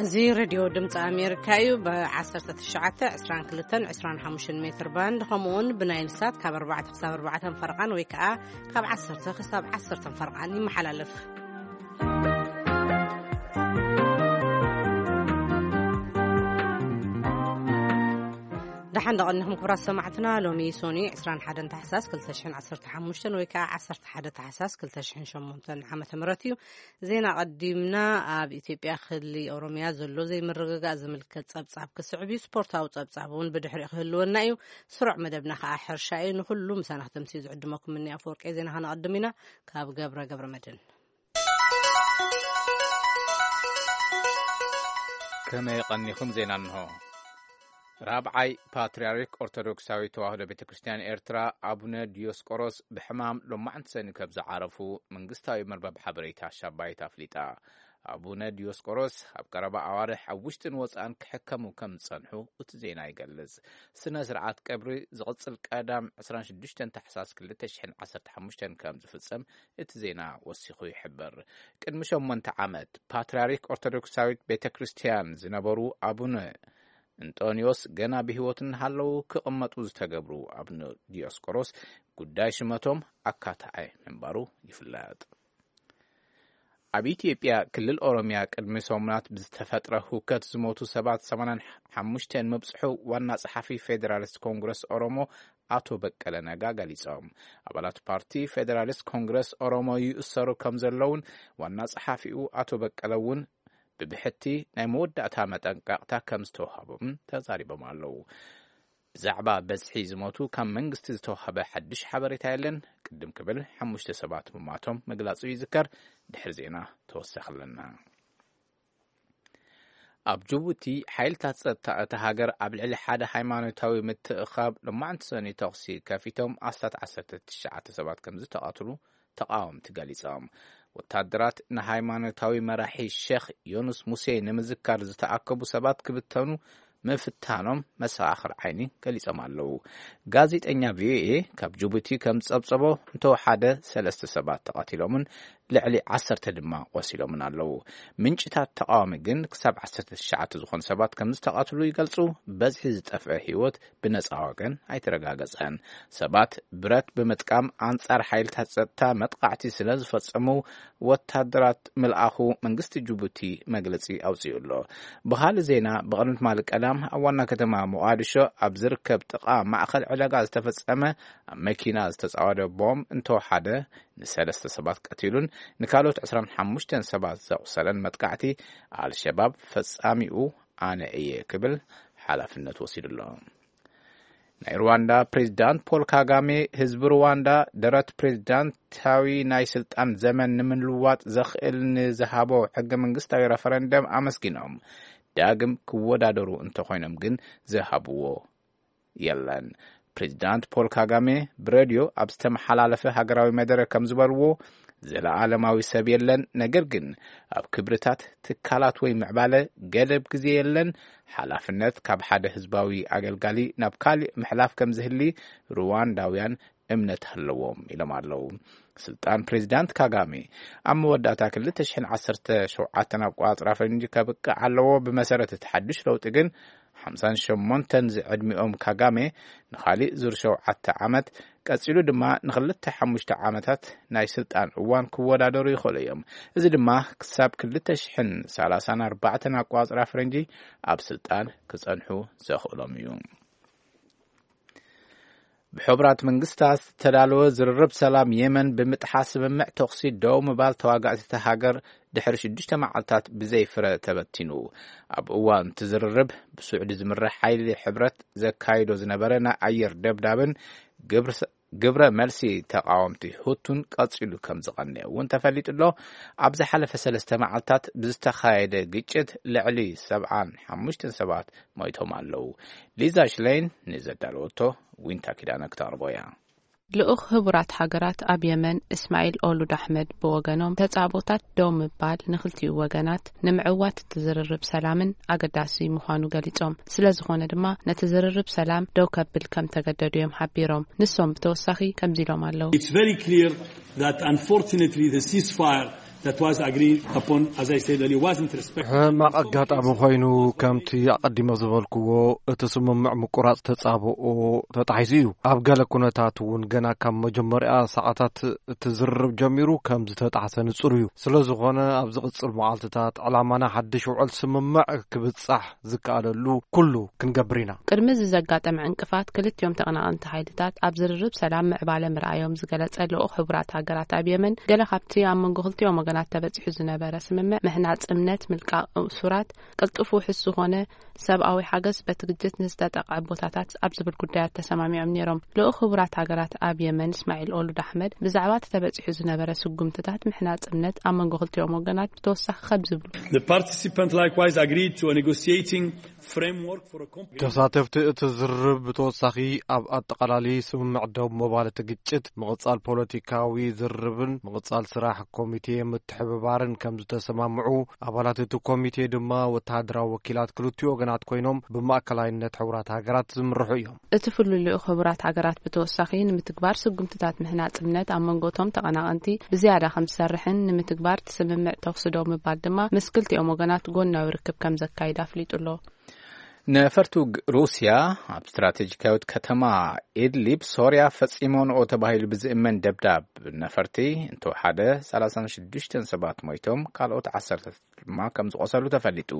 እዚ ሬድዮ ድምፂ ኣሜሪካ እዩ። ብ19፣ 22፣ 25 ሜትር ባንድ፣ ከምኡውን ብናይል ሳት ካብ ኣርባዕተ ክሳብ ኣርባዕተ ፈረቓን ወይ ከዓ ካብ ዓሰርተ ክሳብ ዓሰርተ ፈረቓን ይመሓላለፍ። ደሓን ደቐኒኹም ክቡራት ሰማዕትና። ሎሚ ሶኒ 21 ታሕሳስ 2015 ወይ ከዓ 11 ታሕሳስ 2008 ዓመተ ምህረት እዩ። ዜና ቀዲምና። ኣብ ኢትዮጵያ ክሊ ኦሮሚያ ዘሎ ዘይምርግጋእ ዝምልከት ጸብጻብ ክስዕብ እዩ። ስፖርታዊ ጸብጻብ እውን ብድሕሪኡ ክህልወና እዩ። ስሩዕ መደብና ከዓ ሕርሻ እዩ። ንኹሉ ምሳና ክተምስዩ ዝዕድመኩም እኒ ኣፈወርቂ። ዜና ከነቐድም ኢና። ካብ ገብረ ገብረ መድህን። ከመይ ቀኒኹም? ዜና እንሆ። ራብዓይ ፓትርያርክ ኦርቶዶክሳዊት ተዋህዶ ቤተ ክርስቲያን ኤርትራ ኣቡነ ዲዮስቆሮስ ብሕማም ሎማዕንቲ ሰኒ ከም ዝዓረፉ መንግስታዊ መርበብ ሓበሬታ ሻባይት ኣፍሊጣ። ኣቡነ ዲዮስቆሮስ ኣብ ቀረባ ኣዋርሕ ኣብ ውሽጥን ወጻእን ክሕከሙ ከም ዝጸንሑ እቲ ዜና ይገልጽ። ስነ ስርዓት ቀብሪ ዝቕጽል ቀዳም 26 ታሕሳስ 2015 ከም ዝፍጸም እቲ ዜና ወሲኹ ይሕብር። ቅድሚ ሸሞንተ ዓመት ፓትርያርክ ኦርቶዶክሳዊት ቤተ ክርስቲያን ዝነበሩ ኣቡነ እንጦንዮስ ገና ብህይወት እናሃለዉ ክቕመጡ ዝተገብሩ ኣቡነ ዲዮስቆሮስ ጉዳይ ሽመቶም ኣካታዒ ምንባሩ ይፍለጥ። ኣብ ኢትዮጵያ ክልል ኦሮሚያ ቅድሚ ሰሙናት ብዝተፈጥረ ሁከት ዝሞቱ ሰባት 85 ምብጽሑ ዋና ጸሓፊ ፌዴራሊስት ኮንግረስ ኦሮሞ ኣቶ በቀለ ነጋ ገሊጾም። ኣባላት ፓርቲ ፌዴራሊስት ኮንግረስ ኦሮሞ ይእሰሩ ከም ዘለውን ዋና ጸሓፊኡ ኣቶ በቀለ እውን ብብሕቲ ናይ መወዳእታ መጠንቀቕታ ከም ዝተዋህቦም ተዛሪቦም ኣለዉ። ብዛዕባ በዝሒ ዝሞቱ ካብ መንግስቲ ዝተዋህበ ሓድሽ ሓበሬታ የለን። ቅድም ክብል ሓሙሽተ ሰባት ምማቶም ምግላጹ ይዝከር። ድሕሪ ዜና ተወሰኸ ኣለና። ኣብ ጅቡቲ ሓይልታት ጸጥታ እታ ሃገር ኣብ ልዕሊ ሓደ ሃይማኖታዊ ምትእኻብ ሎማዕንቲ ሰኒ ተኹሲ ከፊቶም ኣስታት 19 ሰባት ከም ዝተቓትሉ ተቓወምቲ ገሊጾም። ወታደራት ንሃይማኖታዊ መራሒ ሼኽ ዮኑስ ሙሴ ንምዝካር ዝተኣከቡ ሰባት ክብተኑ ምፍታኖም መሰኻኽር ዓይኒ ገሊጾም ኣለዉ። ጋዜጠኛ ቪኦኤ ካብ ጅቡቲ ከም ዝጸብጸቦ እንተወሓደ ሰለስተ ሰባት ተቐቲሎምን ልዕሊ ዓሰርተ ድማ ቆሲሎምን ኣለዉ። ምንጭታት ተቓዋሚ ግን ክሳብ ዓሰርተ ትሽዓተ ዝኾኑ ሰባት ከም ዝተቐትሉ ይገልጹ። በዝሒ ዝጠፍአ ህይወት ብነጻ ወገን ኣይተረጋገጸን። ሰባት ብረት ብምጥቃም ኣንጻር ሓይልታት ጸጥታ መጥቃዕቲ ስለ ዝፈጸሙ ወታደራት ምልኣኹ መንግስቲ ጅቡቲ መግለጺ ኣውጺኡ ኣሎ። ብኻልእ ዜና፣ ብቕድሚ ትማሊ ቀዳም ኣብ ዋና ከተማ ሞቓዲሾ ኣብ ዝርከብ ጥቓ ማእከል ዕዳጋ ዝተፈጸመ ኣብ መኪና ዝተጻወደ ቦምብ እንተወሓደ ንሰለስተ ሰባት ቀቲሉን ንካልኦት ዕስራን ሓሙሽተን ሰባት ዘቑሰለን መጥቃዕቲ ኣልሸባብ ፈጻሚኡ ኣነ እየ ክብል ሓላፍነት ወሲዱ ኣሎ። ናይ ሩዋንዳ ፕሬዝዳንት ፖል ካጋሜ ህዝቢ ሩዋንዳ ደረት ፕሬዝዳንታዊ ናይ ስልጣን ዘመን ንምልዋጥ ዘኽእል ንዝሃቦ ሕገ መንግስታዊ ረፈረንደም ኣመስጊኖም፣ ዳግም ክወዳደሩ እንተኾይኖም ግን ዝሃብዎ የለን። ፕሬዝዳንት ፖል ካጋሜ ብሬድዮ ኣብ ዝተመሓላለፈ ሃገራዊ መደረ ከም ዝበልዎ፣ ዘለኣለማዊ ሰብ የለን፣ ነገር ግን ኣብ ክብርታት ትካላት ወይ ምዕባለ ገደብ ግዜ የለን። ሓላፍነት ካብ ሓደ ህዝባዊ ኣገልጋሊ ናብ ካልእ ምሕላፍ ከም ዝህሊ ሩዋንዳውያን እምነት ኣለዎም ኢሎም ኣለዉ። ስልጣን ፕሬዚዳንት ካጋሜ ኣብ መወዳእታ ክልተ ሽሕን ዓሰርተ ሸውዓተን ኣቆጻጽራ ፈረንጂ ከብቅዕ ኣለዎ። ብመሰረት እቲ ሓድሽ ለውጢ ግን ሓምሳን ሸሞንተን ዝዕድሚኦም ካጋሜ ንኻሊእ ዙር ሸውዓተ ዓመት፣ ቀጺሉ ድማ ንኽልተ ሓሙሽተ ዓመታት ናይ ስልጣን እዋን ክወዳደሩ ይኽእሉ እዮም። እዚ ድማ ክሳብ ክልተ ሽሕን ሰላሳን ኣርባዕተን ኣቆጻጽራ ፈረንጂ ኣብ ስልጣን ክጸንሑ ዘኽእሎም እዩ። ብሕቡራት መንግስታት ዝተዳለወ ዝርርብ ሰላም የመን ብምጥሓስ ስምምዕ ተኹሲ ደው ምባል ተዋጋእቲ እታ ሃገር ድሕሪ ሽዱሽተ መዓልታት ብዘይ ፍረ ተበቲኑ። ኣብ እዋን እቲ ዝርርብ ብስዑዲ ዝምራሕ ሓይሊ ሕብረት ዘካይዶ ዝነበረ ናይ ኣየር ደብዳብን ግብር ግብረ መልሲ ተቃወምቲ ሁቱን ቀጺሉ ከም ዝቐንየ እውን ተፈሊጡ ኣሎ። ኣብ ዝሓለፈ ሰለስተ መዓልታት ብዝተኻየደ ግጭት ልዕሊ ሰብዓን ሓሙሽተን ሰባት ሞይቶም ኣለዉ። ሊዛ ሽለይን ንዘዳለወቶ ዊንታ ኪዳነ ክተቕርቦ እያ። ልኡኽ ህቡራት ሃገራት ኣብ የመን እስማዒል ኦሉድ ኣሕመድ ብወገኖም፣ ተጻቦታት ደው ምባል ንኽልቲኡ ወገናት ንምዕዋት እቲ ዝርርብ ሰላምን ኣገዳሲ ምዃኑ ገሊጾም፣ ስለ ዝኾነ ድማ ነቲ ዝርርብ ሰላም ደው ከብል ከም ተገደዱ እዮም ሓቢሮም። ንሶም ብተወሳኺ ከምዚ ኢሎም ኣለዉ። It's very clear that unfortunately the ceasefire that was agreed upon, as I said earlier, wasn't respected. ሕማቕ ኣጋጣሚ ኮይኑ፣ ከምቲ ኣቐዲመ ዝበልክዎ፣ እቲ ስምምዕ ምቁራጽ ተጻብኦ ተጣሒሱ እዩ። ኣብ ገለ ኩነታት እውን ገና ካብ መጀመርያ ሰዓታት እቲ ዝርርብ ጀሚሩ ከም ዝተጣሕሰ ንጹር እዩ። ስለ ዝኾነ፣ ኣብ ዝቕጽል መዓልትታት ዕላማና ሓድሽ ውዕል ስምምዕ ክብጻሕ ዝከኣለሉ ኩሉ ክንገብር ኢና። ቅድሚ እዚ ዘጋጠመ ዕንቅፋት፣ ክልቲኦም ተቐናቐንቲ ሓይልታት ኣብ ዝርርብ ሰላም ምዕባለ ምርኣዮም ዝገለጸ ልኡኽ ሕቡራት ሃገራት ኣብ የመን፣ ገለ ካብቲ ኣብ መንጎ ክልቲኦም ወገናት ተበጺሑ ዝነበረ ስምምዕ፣ ምሕናጽ እምነት፣ ምልቃቕ እሱራት፣ ቅልጡፍ ውሑስ ዝኾነ ሰብኣዊ ሓገዝ በቲ ግጭት ንዝተጠቕዐ ቦታታት ኣብ ዝብል ጉዳያት ተሰማሚዖም ነይሮም። ልኡኽ ሕቡራት ሃገራት ኣብ የመን እስማዒል ኦሉድ ኣሕመድ ብዛዕባ እቲ ተበጺሑ ዝነበረ ስጉምትታት ምሕናጽ እምነት ኣብ መንጎ ክልቲኦም ወገናት ብተወሳኺ ከም ዝብሉ። The participant likewise agreed to a negotiating framework for a comprehensive ተሳተፍቲ እቲ ዝርርብ ብተወሳኺ ኣብ ኣጠቓላሊ ስምምዕ ደው መባልቲ ግጭት፣ ምቕጻል ፖለቲካዊ ዝርርብን ምቕጻል ስራሕ ኮሚቴ ምትሕብባርን ከም ዝተሰማምዑ፣ ኣባላት እቲ ኮሚቴ ድማ ወተሃደራዊ ወኪላት ክልቲኡ ወገናት ኮይኖም ብማእከላይነት ሕቡራት ሃገራት ዝምርሑ እዮም። እቲ ፍሉይ ልኡኽ ሕቡራት ሃገራት ብተወሳኺ ንምትግባር ስጉምትታት ምሕናጽ እምነት ኣብ መንጎ እቶም ተቐናቐንቲ ብዝያዳ ከም ዝሰርሕን ንምትግባር እቲ ስምምዕ ተኹሲ ደው ምባል ድማ ምስ ክልቲኦም ወገናት ጎናዊ ርክብ ከም ዘካይድ ኣፍሊጡ ኣሎ። ነፈርቲ ውግእ ሩስያ ኣብ ስትራቴጂካዊት ከተማ ኢድሊብ ሶርያ ፈጺሞንኦ ተባሂሉ ብዝእመን ደብዳብ ነፈርቲ እንተወሓደ ሰላሳን ሽዱሽተን ሰባት ሞይቶም፣ ካልኦት ዓሰርተ ድማ ከም ዝቖሰሉ ተፈሊጡ።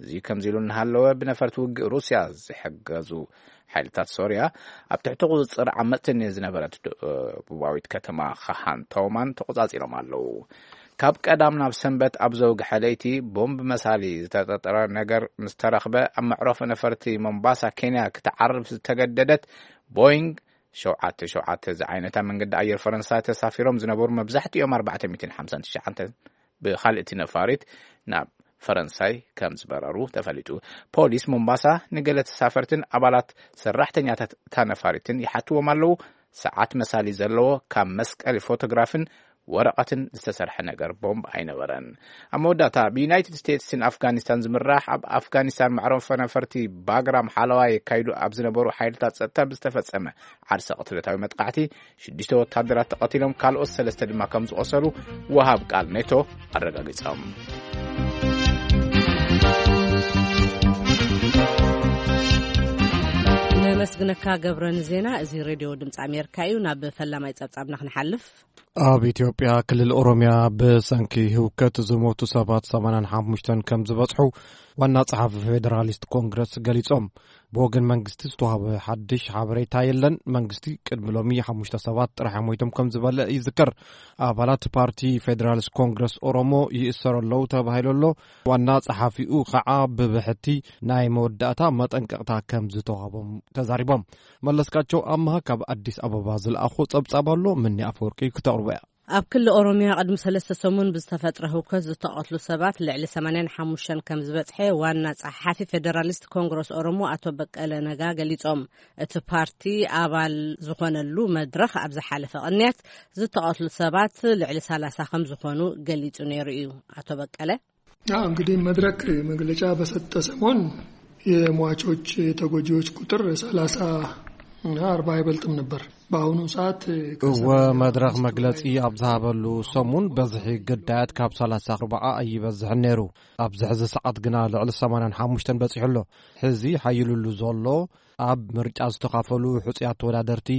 እዚ ከምዚ ኢሉ እናሃለወ፣ ብነፈርቲ ውግእ ሩስያ ዝሕገዙ ሓይልታት ሶርያ ኣብ ትሕቲ ቁጽጽር ዓመጽትን ዝነበረት ደቡባዊት ከተማ ኻሃን ተውማን ተቆጻጺሮም ኣለዉ። ካብ ቀዳም ናብ ሰንበት ኣብ ዘውግሐ ለይቲ ቦምብ መሳሊ ዝተጠርጠረ ነገር ምስ ተረኽበ፣ ኣብ መዕረፎ ነፈርቲ ሞምባሳ ኬንያ ክትዓርፍ ዝተገደደት ቦይንግ ሸውዓተ ሸውዓተ ዝዓይነታ መንገዲ ኣየር ፈረንሳይ ተሳፊሮም ዝነበሩ መብዛሕትኦም ኣርባዕተ ሚእትን ሓምሳን ትሽዓተን ብኻልእቲ ነፋሪት ናብ ፈረንሳይ ከም ዝበረሩ ተፈሊጡ። ፖሊስ ሞምባሳ ንገለ ተሳፈርትን ኣባላት ሰራሕተኛታት እታ ነፋሪትን ይሓትዎም ኣለዉ። ሰዓት መሳሊ ዘለዎ ካብ መስቀሊ ፎቶግራፍን ወረቐትን ዝተሰርሐ ነገር ቦምብ ኣይነበረን። ኣብ መወዳእታ፣ ብዩናይትድ ስቴትስን ኣፍጋኒስታን ዝምራሕ ኣብ ኣፍጋኒስታን መዕረፎ ነፈርቲ ባግራም ሓለዋ የካይዱ ኣብ ዝነበሩ ሓይልታት ጸጥታ ብዝተፈጸመ ዓርሰ ቅትለታዊ መጥቃዕቲ ሽዱሽተ ወታደራት ተቐቲሎም፣ ካልኦት ሰለስተ ድማ ከም ዝቖሰሉ ወሃብ ቃል ኔቶ ኣረጋጊጾም። ነመስግነካ ገብረ ንዜና። እዚ ሬድዮ ድምፂ ኣሜሪካ እዩ። ናብ ፈላማይ ጸብጻብና ክንሓልፍ። ኣብ ኢትዮጵያ ክልል ኦሮሚያ ብሰንኪ ህውከት ዝሞቱ ሰባት ሰማንያን ሓሙሽተን ከም ዝበጽሑ ዋና ጸሓፊ ፌደራሊስት ኮንግረስ ገሊጾም። ብወገን መንግስቲ ዝተዋህበ ሓድሽ ሓበሬታ የለን። መንግስቲ ቅድሚ ሎሚ ሓሙሽተ ሰባት ጥራሕ ሞይቶም ከም ዝበለ ይዝከር። ኣባላት ፓርቲ ፌደራሊስት ኮንግረስ ኦሮሞ ይእሰሩ ኣለዉ ተባሂሉ ኣሎ። ዋና ጸሓፊኡ ኸዓ ብብሕቲ ናይ መወዳእታ መጠንቀቕታ ከም ዝተዋህቦም ተዛሪቦም። መለስካቸው ኣምሃ ካብ ኣዲስ ኣበባ ዝለኣኾ ጸብጻብ ኣሎ። ምኒ ኣፈወርቂ ክተቕርቦ እያ። ኣብ ክልል ኦሮሚያ ቅድሚ ሰለስተ ሰሙን ብዝተፈጥረ ህውከት ዝተቐትሉ ሰባት ልዕሊ ሰማንያን ሓሙሽተን ከም ዝበጽሐ ዋና ጸሓፊ ፌደራሊስት ኮንግረስ ኦሮሞ ኣቶ በቀለ ነጋ ገሊጾም። እቲ ፓርቲ ኣባል ዝኾነሉ መድረኽ ኣብ ዝሓለፈ ቅንያት ዝተቐትሉ ሰባት ልዕሊ ሰላሳ ከም ዝኾኑ ገሊጹ ነይሩ እዩ። ኣቶ በቀለ። አዎ፣ እንግዲህ መድረክ መግለጫ በሰጠ ሰሞን የሟቾች፣ የተጎጂዎች ቁጥር ሰላሳ እና አርባ አይበልጥም ነበር። በአሁኑ ሰዓት እወ፣ ከሰባ መድረኽ መግለጺ ኣብ ዝሃበሉ ሰሙን በዝሒ ግዳያት ካብ ሰላሳ ኣርባዓ ኣይበዝሕን ነይሩ። ኣብዚ ሕዚ ሰዓት ግና ልዕሊ ሰማንያን ሓሙሽተን በጺሑ ኣሎ። ሕዚ ሓይሉሉ ዘሎ ኣብ ምርጫ ዝተኻፈሉ ሕጹያት ተወዳደርቲ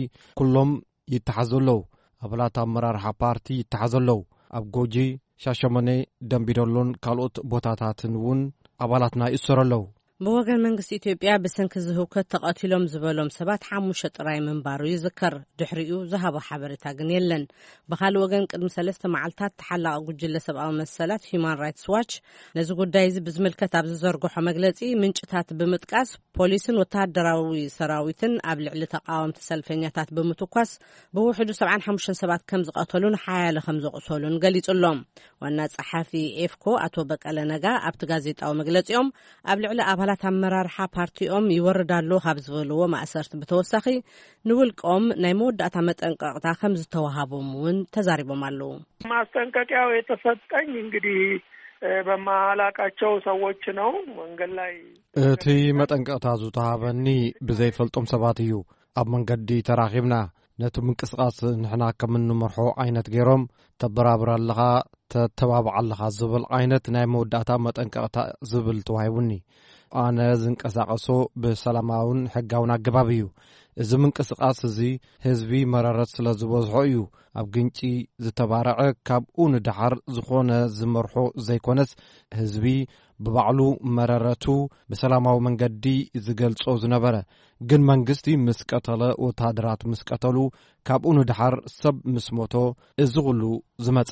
ኩሎም ይተሓዙ ኣለዉ። ኣባላት ኣመራርሓ ፓርቲ ይተሓዙ ኣለዉ። ኣብ ጎጂ፣ ሻሸመኔ፣ ደምቢዶሎን ካልኦት ቦታታትን እውን ኣባላትና ይእሰሩ ኣለዉ። ብወገን መንግስቲ ኢትዮጵያ ብሰንኪ እዚ ህውከት ተቐቲሎም ዝበሎም ሰባት ሓሙሽተ ጥራይ ምንባሩ ይዝከር። ድሕሪኡ ዝሃቦ ሓበሬታ ግን የለን። ብኻልእ ወገን ቅድሚ ሰለስተ መዓልታት ተሓላቒ ጉጅለ ሰብኣዊ መሰላት ሂዩማን ራይትስ ዋች ነዚ ጉዳይ እዚ ብዝምልከት ኣብ ዝዘርግሖ መግለጺ ምንጭታት ብምጥቃስ ፖሊስን ወተሃደራዊ ሰራዊትን ኣብ ልዕሊ ተቃወምቲ ሰልፈኛታት ብምትኳስ ብውሕዱ ሰብዓን ሓሙሽተን ሰባት ከም ዝቐተሉን ሓያለ ከም ዘቑሰሉን ገሊጹ ኣሎ። ዋና ጸሓፊ ኤፍኮ ኣቶ በቀለ ነጋ ኣብቲ ጋዜጣዊ መግለጺኦም ኣብ ልዕሊ ኣባላት ኣመራርሓ ፓርቲኦም ይወርድ ኣሎ ካብ ዝበልዎ ማእሰርቲ ብተወሳኺ ንውልቆም ናይ መወዳእታ መጠንቀቕታ ከም ዝተዋሃቦም እውን ተዛሪቦም ኣለዉ። ማስጠንቀቂያው የተሰጠኝ እንግዲህ በማላቃቸው ሰዎች ነው። መንገድ ላይ እቲ መጠንቀቕታ ዝተዋሃበኒ ብዘይፈልጦም ሰባት እዩ። ኣብ መንገዲ ተራኺብና ነቲ ምንቅስቓስ ንሕና ከም እንመርሖ ዓይነት ገይሮም፣ "ተበራብር ኣለኻ፣ ተተባብዓ ኣለኻ ዝብል ዓይነት ናይ መወዳእታ መጠንቀቕታ ዝብል ተዋሂቡኒ። ኣነ ዝንቀሳቐሶ ብሰላማውን ሕጋውን ኣገባብ እዩ። እዚ ምንቅስቓስ እዚ ህዝቢ መረረት ስለ ዝበዝሖ እዩ ኣብ ግንጪ ዝተባረዐ። ካብኡ ንደሓር ዝኾነ ዝመርሖ ዘይኮነስ፣ ህዝቢ ብባዕሉ መረረቱ ብሰላማዊ መንገዲ ዝገልጾ ዝነበረ። ግን መንግስቲ ምስ ቀተለ፣ ወተሃደራት ምስ ቀተሉ፣ ካብኡ ንደሓር ሰብ ምስ ሞቶ፣ እዚ ኩሉ ዝመጸ።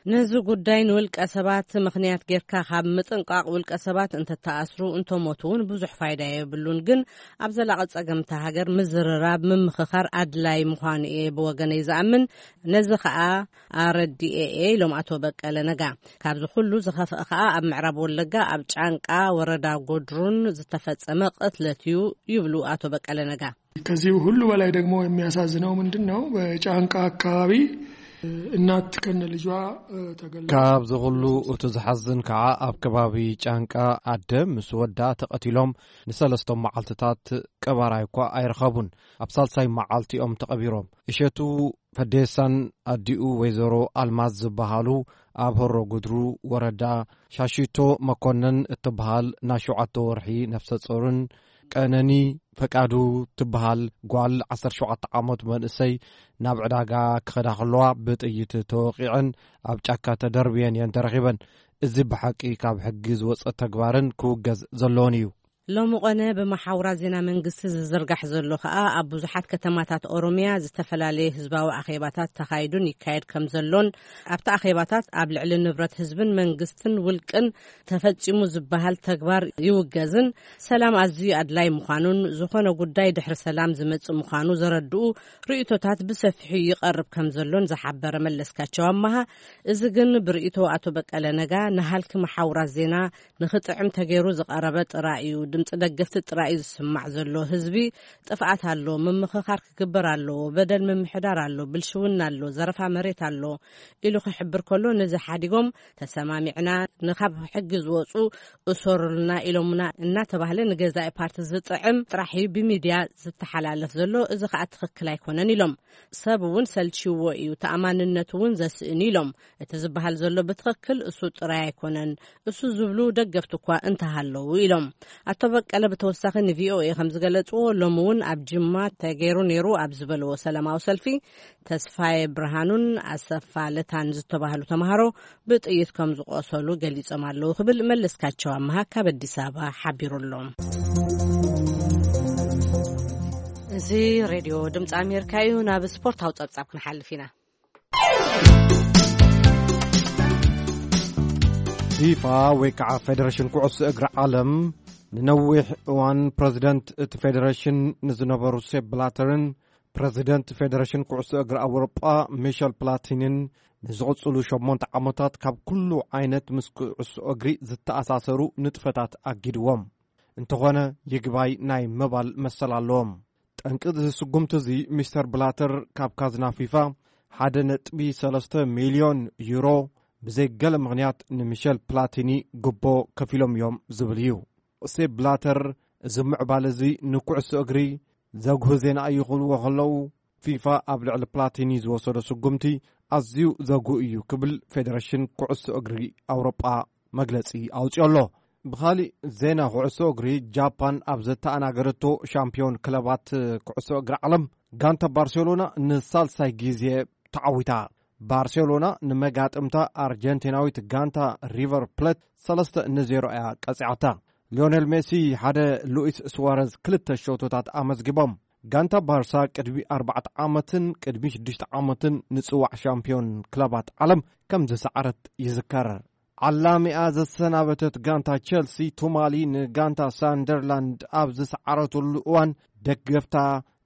ነዚ ጉዳይ ንውልቀ ሰባት ምኽንያት ጌርካ ካብ ምጥንቃቕ፣ ውልቀ ሰባት እንተተኣስሩ እንተሞቱ እውን ብዙሕ ፋይዳ የብሉን። ግን ኣብ ዘላቒ ጸገምታ ሃገር ምዝርራብ፣ ምምኽኻር ኣድላይ ምዃኑ እየ ብወገነይ ዝኣምን። ነዚ ኸኣ ኣረዲኤ እየ ኢሎም ኣቶ በቀለ ነጋ። ካብዚ ኩሉ ዝኸፍአ ኸኣ ኣብ ምዕራብ ወለጋ ኣብ ጫንቃ ወረዳ ጎድሩን ዝተፈጸመ ቅትለት እዩ ይብሉ ኣቶ በቀለ ነጋ። ከዚህ ሁሉ በላይ ደግሞ የሚያሳዝነው ምንድን ነው? በጫንቃ አካባቢ እናት ከነ ልጇ ተገላ። ካብዚ ኩሉ እቲ ዝሓዝን ከዓ ኣብ ከባቢ ጫንቃ ኣደ ምስ ወዳ ተቐቲሎም ንሰለስተ መዓልትታት ቀባራይ እኳ ኣይረኸቡን። ኣብ ሳልሳይ መዓልቲኦም ተቐቢሮም። እሸቱ ፈዴሳን ኣዲኡ ወይዘሮ ኣልማዝ ዝበሃሉ ኣብ ሆሮ ጉድሩ ወረዳ ሻሺቶ መኮነን እትበሃል ናይ ሸውዓተ ወርሒ ነፍሰ ጾርን ቀነኒ ፈቃዱ ትበሃል ጓል ዓሰርተ ሸውዓተ ዓመት መንእሰይ ናብ ዕዳጋ ክኸዳ ከለዋ ብጥይት ተወቒዐን ኣብ ጫካ ተደርብየን እየን ተረኺበን። እዚ ብሓቂ ካብ ሕጊ ዝወጸ ተግባርን ክውገዝ ዘለዎን እዩ። ሎሚ ቆነ ብመሓውራት ዜና መንግስቲ ዝዝርጋሕ ዘሎ ከኣ ኣብ ብዙሓት ከተማታት ኦሮምያ ዝተፈላለየ ህዝባዊ ኣኼባታት ተኻይዱን ይካየድ ከም ዘሎን ኣብቲ ኣኼባታት ኣብ ልዕሊ ንብረት ህዝብን መንግስትን ውልቅን ተፈጺሙ ዝበሃል ተግባር ይውገዝን ሰላም ኣዝዩ ኣድላይ ምዃኑን ዝኾነ ጉዳይ ድሕሪ ሰላም ዝመጽእ ምዃኑ ዘረድኡ ርእይቶታት ብሰፊሑ ይቐርብ ከም ዘሎን ዝሓበረ መለስካቸው ኣመሃ፣ እዚ ግን ብርእይቶ ኣቶ በቀለ ነጋ ንሃልኪ መሓውራት ዜና ንኽጥዕም ተገይሩ ዝቐረበ ጥራይ እዩ። ድምፂ ደገፍቲ ጥራይ እዩ ዝስማዕ ዘሎ። ህዝቢ ጥፍኣት ኣሎ፣ ምምኽኻር ክግበር ኣለዎ፣ በደል ምምሕዳር ኣሎ፣ ብልሽውና ኣሎ፣ ዘረፋ መሬት ኣሎ ኢሉ ክሕብር ከሎ፣ ነዚ ሓዲጎም ተሰማሚዕና ንካብ ሕጊ ዝወፁ እሰሩልና ኢሎምና እናተባህለ ንገዛኢ ፓርቲ ዝጥዕም ጥራሕ እዩ ብሚድያ ዝተሓላለፍ ዘሎ። እዚ ከዓ ትኽክል ኣይኮነን ኢሎም። ሰብ እውን ሰልችዎ እዩ፣ ተኣማንነቱ እውን ዘስእን ኢሎም። እቲ ዝበሃል ዘሎ ብትኽክል እሱ ጥራይ ኣይኮነን፣ እሱ ዝብሉ ደገፍቲ እኳ እንተሃለዉ ኢሎም። ኣቶ በቀለ ብተወሳኺ ንቪኦኤ ከም ዝገለጽዎ፣ ሎሚ እውን ኣብ ጅማ ተገይሩ ነይሩ ኣብ ዝበለዎ ሰላማዊ ሰልፊ፣ ተስፋዬ ብርሃኑን ኣሰፋ ለታን ዝተባህሉ ተምሃሮ ብጥይት ከም ዝቆሰሉ ገሊጾም ኣለዉ ክብል መለስካቸው ኣመሃ ካብ ኣዲስ ኣበባ ሓቢሩ ኣሎ። እዚ ሬድዮ ድምፂ ኣሜሪካ እዩ። ናብ ስፖርታዊ ጸብጻብ ክንሓልፍ ኢና። ፊፋ ወይ ከዓ ፌደሬሽን ኩዕሶ እግሪ ዓለም ንነዊሕ እዋን ፕረዚደንት እቲ ፌደሬሽን ንዝነበሩ ሴፕ ብላተርን ፕረዚደንት ፌደሬሽን ኩዕሶ እግሪ ኣውሮጳ ሚሸል ፕላቲንን ንዝቕጽሉ ሸሞንተ ዓመታት ካብ ኩሉ ዓይነት ምስ ኩዕሶ እግሪ ዝተኣሳሰሩ ንጥፈታት ኣጊድዎም። እንተኾነ ይግባይ ናይ ምባል መሰል ኣለዎም። ጠንቂ እዚ ስጉምቲ እዚ ሚስተር ብላተር ካብ ካዝና ፊፋ ሓደ ነጥቢ ሰለስተ ሚልዮን ዩሮ ብዘይ ገለ ምኽንያት ንሚሸል ፕላቲኒ ግቦ ከፊሎም እዮም ዝብል እዩ። ሴፕ ብላተር እዚ ምዕባለ እዚ ንኩዕሶ እግሪ ዘጉህ ዜና እዩ ክብልዎ ከለዉ፣ ፊፋ ኣብ ልዕሊ ፕላቲኒ ዝወሰዶ ስጉምቲ ኣዝዩ ዘጉህ እዩ ክብል ፌደሬሽን ኩዕሶ እግሪ ኣውሮጳ መግለጺ ኣውጺኦ ኣሎ። ብኻሊእ ዜና ኩዕሶ እግሪ፣ ጃፓን ኣብ ዘተኣናገደቶ ሻምፒዮን ክለባት ኩዕሶ እግሪ ዓለም ጋንታ ባርሴሎና ንሳልሳይ ግዜ ተዓዊታ። ባርሴሎና ንመጋጥምታ ኣርጀንቲናዊት ጋንታ ሪቨር ፕሌት ሰለስተ ንዜሮ እያ ቀጺዓታ። ሊዮኔል ሜሲ ሓደ፣ ሉኢስ ስዋረዝ ክልተ ሸቶታት ኣመዝጊቦም። ጋንታ ባርሳ ቅድሚ ኣርባዕተ ዓመትን ቅድሚ ሽዱሽተ ዓመትን ንጽዋዕ ሻምፒዮን ክለባት ዓለም ከም ዝሰዓረት ይዝከር። ዓላሚኣ ዘሰናበተት ጋንታ ቸልሲ ቱማሊ ንጋንታ ሳንደርላንድ ኣብ ዝሰዓረትሉ እዋን፣ ደገፍታ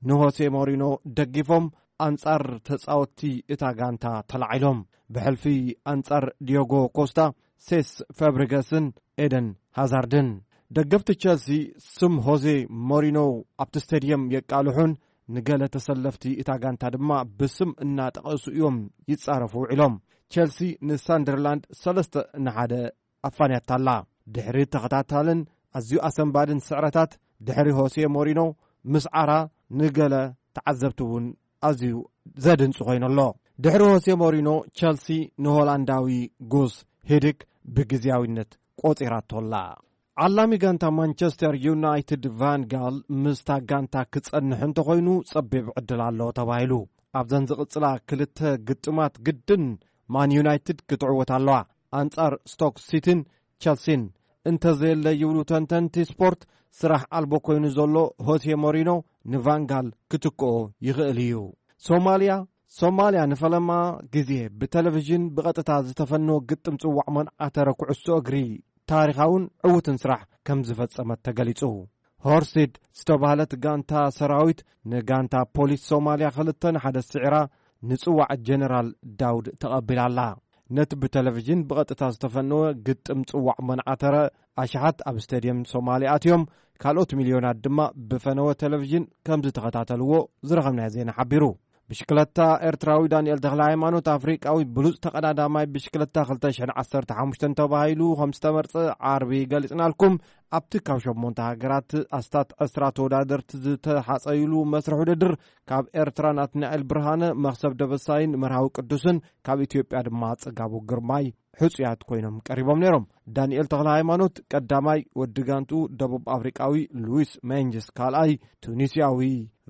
ንሆሴ ሞሪኖ ደጊፎም ኣንጻር ተጻወትቲ እታ ጋንታ ተላዒሎም። ብሕልፊ ኣንጻር ዲዮጎ ኮስታ፣ ሴስ ፋብሪጋስን ኤደን ሃዛርድን። ደገፍቲ ቸልሲ ስም ሆዜ ሞሪኖ ኣብቲ ስቴድየም የቃልሑን ንገለ ተሰለፍቲ እታ ጋንታ ድማ ብስም እናጠቐሱ እዮም ይጻረፉ ውዒሎም። ቸልሲ ንሳንደርላንድ ሰለስተ ንሓደ ኣፋንያታ ኣላ። ድሕሪ ተኸታታልን ኣዝዩ ኣሰንባድን ስዕረታት፣ ድሕሪ ሆሴ ሞሪኖ ምስዓራ ንገለ ተዓዘብቲ እውን ኣዝዩ ዘድንጹ ኮይኑ ኣሎ። ድሕሪ ሆሴ ሞሪኖ፣ ቸልሲ ንሆላንዳዊ ጉስ ሂድክ ብግዝያዊነት ቆጺራቶ ኣላ። ዓላሚ ጋንታ ማንቸስተር ዩናይትድ ቫን ጋል ምስታ ጋንታ ክጸንሕ እንተኾይኑ ጸቢብ ዕድል ኣሎ ተባሂሉ። ኣብዘን ዝቕጽላ ክልተ ግጥማት ግድን ማን ዩናይትድ ክትዕወት ኣለዋ። ኣንጻር ስቶክ ሲቲን ቸልሲን እንተዘየለ ይብሉ ተንተንቲ ስፖርት፣ ስራሕ ኣልቦ ኮይኑ ዘሎ ሆሴ ሞሪኖ ንቫንጋል ክትክኦ ይኽእል እዩ። ሶማልያ፣ ሶማልያ ንፈለማ ግዜ ብቴሌቪዥን ብቐጥታ ዝተፈነወ ግጥም ጽዋዕ መንዓተረ ኩዕሶ እግሪ ታሪኻውን ዕዉትን ስራሕ ከም ዝፈጸመት ተገሊጹ። ሆርሲድ ዝተባህለት ጋንታ ሰራዊት ንጋንታ ፖሊስ ሶማልያ ክልተ ንሓደ ስዒራ ንጽዋዕ ጀነራል ዳውድ ተቐቢላ ኣላ። ነቲ ብቴሌቪዥን ብቐጥታ ዝተፈነወ ግጥም ጽዋዕ መንዓተረ ኣሽሓት ኣብ ስቴድየም ሶማልያ ኣትዮም፣ ካልኦት ሚልዮናት ድማ ብፈነወ ቴሌቪዥን ከም ዝተኸታተልዎ ዝረኸብናዮ ዜና ሓቢሩ። ብሽክለታ ኤርትራዊ ዳንኤል ተኽለ ሃይማኖት ኣፍሪቃዊ ብሉጽ ተቐዳዳማይ ብሽክለታ ክልተ ሽሕን ዓሰርተ ሓሙሽተን ተባሂሉ ከም ዝተመርጸ ዓርቢ ገሊጽናልኩም። ኣብቲ ካብ ሸሞንተ ሃገራት ኣስታት ዕስራ ተወዳደርቲ ዝተሓጸዩሉ መስርሕ ውድድር ካብ ኤርትራ ናትናኤል ብርሃነ፣ መኽሰብ ደበሳይን መርሃዊ ቅዱስን፣ ካብ ኢትዮጵያ ድማ ጽጋቡ ግርማይ ሕጹያት ኮይኖም ቀሪቦም ነይሮም። ዳንኤል ተኽለ ሃይማኖት ቀዳማይ፣ ወዲ ጋንቱ ደቡብ ኣፍሪቃዊ ሉዊስ ሜንጅስ ካልኣይ፣ ቱኒስያዊ